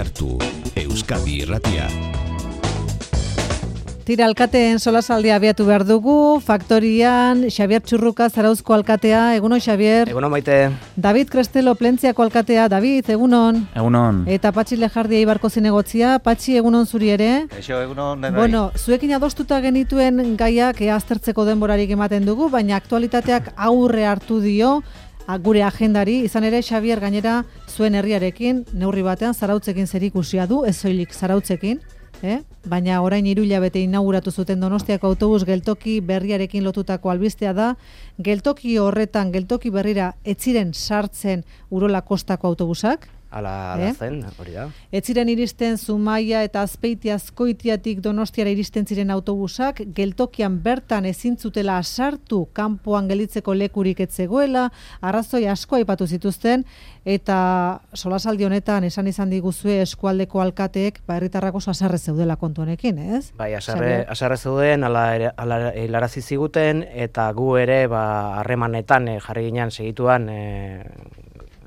hartu, Euskadi Irratia. Tira, alkateen solasaldia abiatu behar dugu, Faktorian, Xabier Txurruka, Zarauzko alkatea, egunon Xabier. Egunon Maite. David Krestelo, Plentziako alkatea, David, egunon. Egunon. Eta Patxi Lejardia Ibarko zinegotzia, Patxi, egunon zuri ere. Eixo, egunon. Bueno, zuekin adostuta genituen gaiak aztertzeko denborarik ematen dugu, baina aktualitateak aurre hartu dio, gure agendari, izan ere Xabier gainera zuen herriarekin, neurri batean Zarautzekin zerikusia du, ez soilik Zarautzekin, baina orain 3 hilabete inauguratu zuten Donostiako autobus geltoki berriarekin lotutako albistea da, geltoki horretan, geltoki berrira, ez ziren sartzen Urola Kostako autobusak, Ala zen, hori da. ez ziren iristen Zumaia eta Azpeitia Azkoitiatik Donostiara iristen ziren autobusak, geltokian bertan ezin zutela sartu kanpoan gelditzeko lekurik ez zegoela, arrazoi asko aipatu zituzten, eta solasaldi honetan esan izan diguzue eskualdeko alkateek herritarrak oso haserre zeudela kontu honekin, ez? Bai, haserre zeuden, ala hilarazi ziguten, eta gu ere harremanetan jarri ginen segituan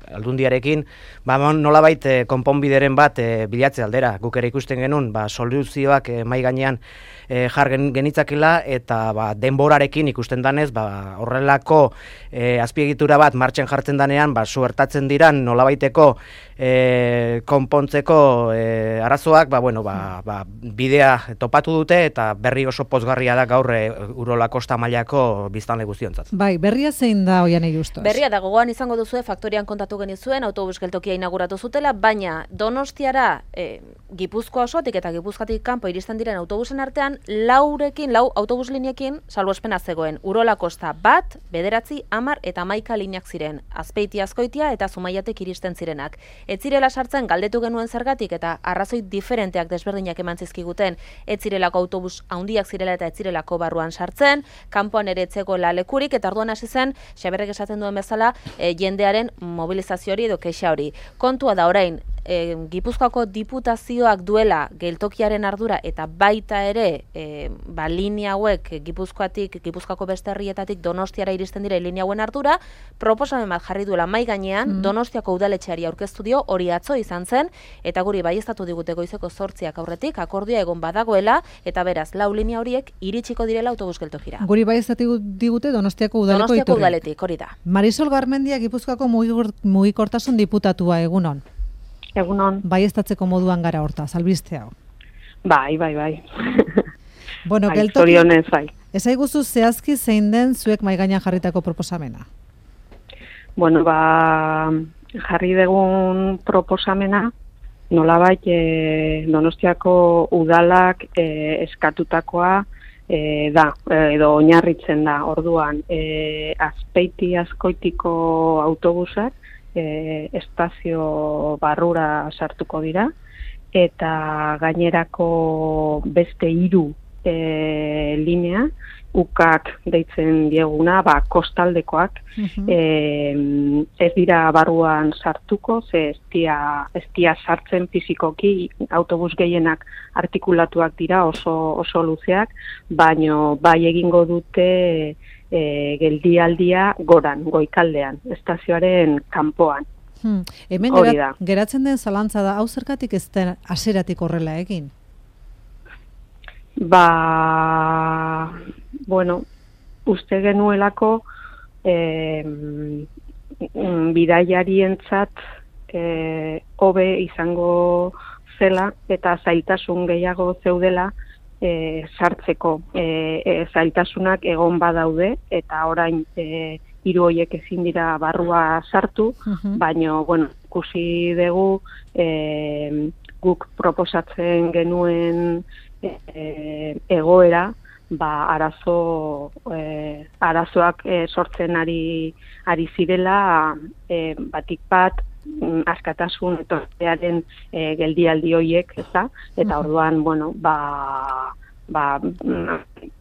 Aldundiarekin, nolabait konponbideren bat bilatze aldera. Guk ere ikusten genuen, soluzioak mahai gainean jar genitzakela, eta denborarekin ikusten danez, horrelako azpiegitura bat martxan jartzen danean, suertatzen diran nolabaiteko konpontzeko arazoak, bidea topatu dute, eta berri oso pozgarria da gaur Urola Kosta mailako biztanle guztiontzat. Bai, berria zein da Oianei Justos? Berria da, gogoan izango duzue, Faktorian kontatu genizuen, autobus geltokia inauguratu zutela, baina Donostiara Gipuzkoa osotik eta Gipuzkoatik kanpo iristen diren autobusen artean, lau autobus liniekin salbuespena zegoen. Urola Kosta 1, 9, 10 eta 11 lineak ziren. Azpeitia Azkoitia eta Zumaiatek iristen zirenak. Ez zirela sartzen galdetu genuen zergatik eta arrazoi diferenteak desberdinak eman zizkiguten. Ez zirelako autobus handiak zirela eta ez zirelako barruan sartzen, kanpoan ere etzegoela lekurik, eta orduan hasi zen, Xaberrek esaten duen bezala, jendearen mobilizazio hori edo kexa hori. Kontua da orain, Gipuzkoako diputazioak duela geltokiaren ardura eta baita ere linea hauek Gipuzkoako beste herrietatik Donostiara iristen dira linea hauen ardura, proposamen bat jarri duela mahai gainean, Donostiako udaletxeari aurkeztu dio, hori atzo izan zen, eta guri baieztatu digute goizeko 8 aurretik, akordioa egon badagoela, eta beraz, 4 linea horiek iritsiko direla autobus geltokira. Guri baieztatu digute Donostiako udaletik, hori da. Marisol Garmendia, Gipuzkoako mugikortasun diputatua, egunon. Egunon. Baieztatzeko moduan gara hortaz, albiste hau. Bai. Bueno, zorionez, bai. Ezaiguzu zehazki zein den zuek mahai gainean jarritako proposamena? Bueno, jarri dugun proposamena, nolabait Donostiako udalak eskatutakoa da, edo oinarritzen da, orduan, Azpeitia Azkoitiko autobusak, estazio barrura sartuko dira, eta gainerako beste 3 linea, ukak deitzen dieguna, kostaldekoak, ez dira barruan sartuko, ze ez dia sartzen fizikoki, autobus gehienak artikulatuak dira, oso luzeak, baino bai egingo dute geldialdia goikaldean, estazioaren kanpoan. Hemen geratzen den zalantza da, hau zergatik ez den hasieratik horrela egin? Uste genuelako bidaiarientzat hobe izango zela eta zailtasun gehiago zeudela sartzeko. Zailtasunak egon badaude eta orain 3 horiek ezin dira barrua sartu, baina ikusi dugu guk proposatzen genuen egoera, arazoak sortzen ari zirela, batik bat askatasun etortearen geldialdi horiek, eta orduan,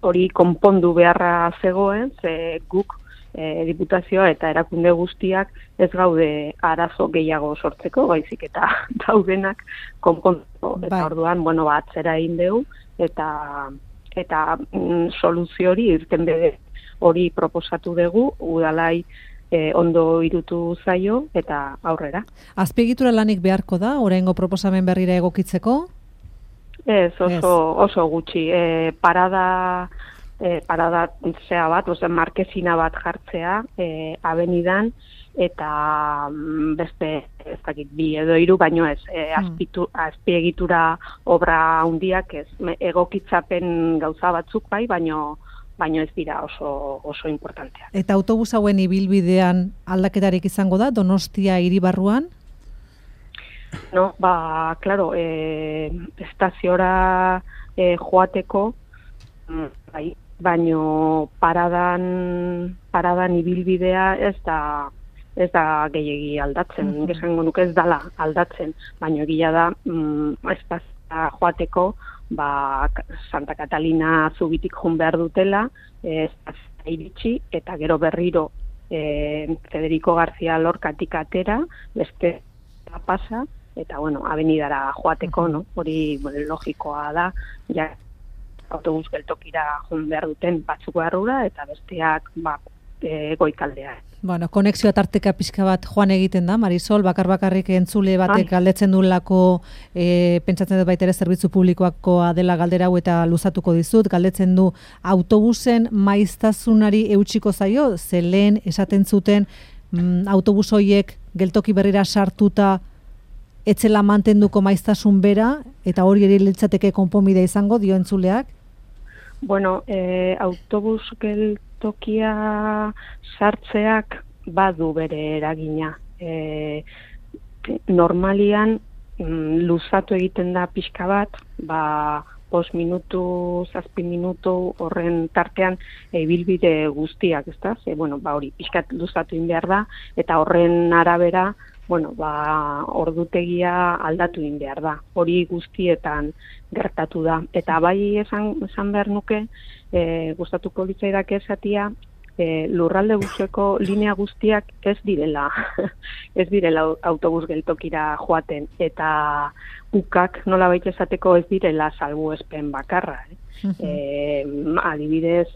hori konpondu beharra zegoen, ze guk diputazioa eta erakunde guztiak ez gaude arazo gehiago sortzeko, baizik eta daudenak konpontzeko. Eta orduan, atzera egin dugu, eta soluzio hori, irtenbide hori proposatu dugu, udalai ondo irutu zaio eta aurrera. Azpiegitura lanik beharko da, oraingo proposamen berrira egokitzeko? Ez, oso gutxi. Parada zea bat, markezina bat jartzea, abenidan, eta beste, ez dakit, 2 edo 3, baino ez, azpiegitura obra handiak ez, egokitzapen gauza batzuk bai, baino ez dira oso importanteak. Eta autobus hauen ibilbidean aldaketarik izango da, Donostia hiribarruan? No, claro, estaziora joateko, bai, baino paradan ibilbidea ez da gehiegi aldatzen, esango nuke ez dala aldatzen, baino egia da espazioa joateko Santa Catalina Zubitik joan behar dutela, espazioa iritsi eta gero berriro Federico García Lorcatik atera, beste pasa eta abenidara joateko, no? Hori logikoa da, ja autobus geltokira joan behar duten batzuk barrura eta besteak goikaldea. Konexioa tarteka pixka bat joan egiten da, Marisol, bakarrik entzule batek galdetzen duelako, pentsatzen dut baita ere zerbitzu publikoakoa dela galdera hau eta luzatuko dizut, galdetzen du autobusen maiztasunari eutsiko zaio, ze lehen esaten zuten autobus horiek geltoki berrira sartuta etzela mantenduko maiztasun bera, eta hori ere litzateke konponbidea izango dio entzuleak? Autobus geltokia sartzeak badu bere eragina. Normalian luzatu egiten da pixka bat, 5 minutu, 7 minutu horren tartean ibilbide guztiak, ezta? Hori pixkat luzatu egin behar da, eta horren arabera ordutegia aldatu egin behar da. Hori guztietan gertatu da. Eta bai esan behar nuke, gustatuko litzaidak esatia, lurralde buseko linea guztiak ez direla autobus geltokira joaten, eta ukak nolabait esateko ez direla salbuespen bakarra. Adibidez,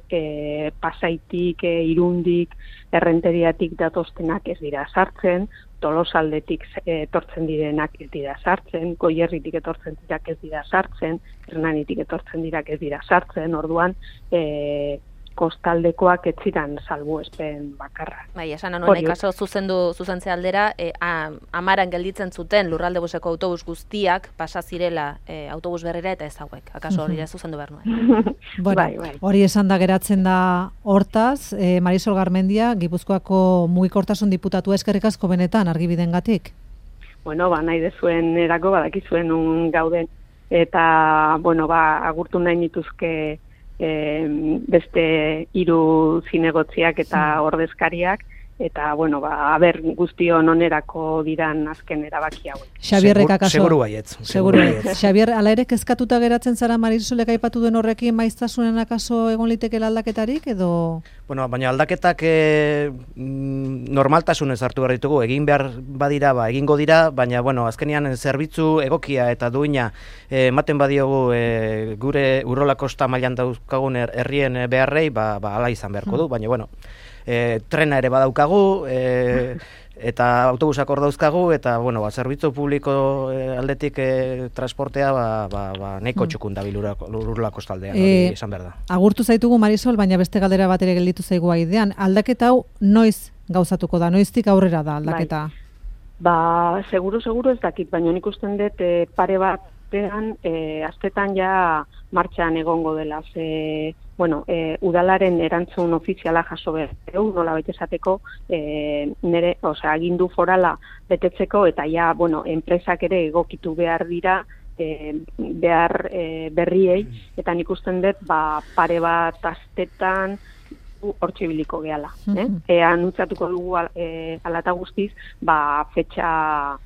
Pasaitik, Irundik, Errenteriatik datostenak ez dira sartzen, Tolosaldetik etortzen direnak ez dira sartzen, Goierritik etortzen dirak ez dira sartzen, Hernanitik etortzen dirak ez dira sartzen, orduan kostaldekoak ez ziren salbuespen bakarra. Bai, esan honek kaso zuzentze aldera, Amaran gelditzen zuten lurralde buseko autobus guztiak pasa zirela autobus berrera eta ez hauek. Akaso hori zuzendu behar nuen. Bai. Hori esan da geratzen da hortaz, Marisol Garmendia, Gipuzkoako mugikortasun diputatua, eskerrik asko benetan argibidengatik. Nahi dezuen erako badakizuen un gauden, eta agurtu nahi nituzke beste 3 zinegotziak eta ordezkariak, eta guztion onerako diran azken erabaki hauek. Xabierrek akaso. Seguru baietz. Xabier, ala ere kezkatuta geratzen zara Marisolek aipatu duen horrekin maiztasunen akaso egon litekela aldaketarik, edo? Baina aldaketak normaltasunez hartu behar ditugu, egin behar badira, egingo dira, baina azkenean zerbitzu egokia eta duina ematen badiogu gure Urola Kosta mailan dauzkagun herrien beharrei, ala izan beharko du, baina trena ere badaukagu, eta autobusak hor dauzkagu, eta zerbitzu publiko aldetik transportea nahiko txukun da Urola Kostaldean, hori izan behar da. Agurtu zaitugu, Marisol, baina beste galdera bat ere gelditu zaigu aidean. Aldaketa hau noiz gauzatuko da, noiztik aurrera da aldaketa? Seguro ez dakit, baina nik usten dut pare bat astetan ja martxan egongo dela, udalaren erantzun ofiziala jaso behar, nola baita esateko agindu forala betetzeko, eta ja, enpresak ere egokitu behar dira behar berriei, eta nik usten dut pare bat astetan hortxe biliko gehala. Anuntziatuko dugu alata guztiz, fetxa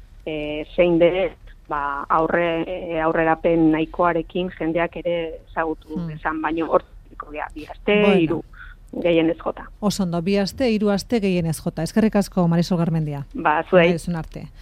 zein dere, aurrerapen nahikoarekin jendeak ere ezagutu esan, baino hortziko gea, 2 aste, 3 gehienez jota. Osondo, 2 aste, 3 aste gehienez jota. Eskerrik asko, Marisol Garmendia. Zuei. Arte.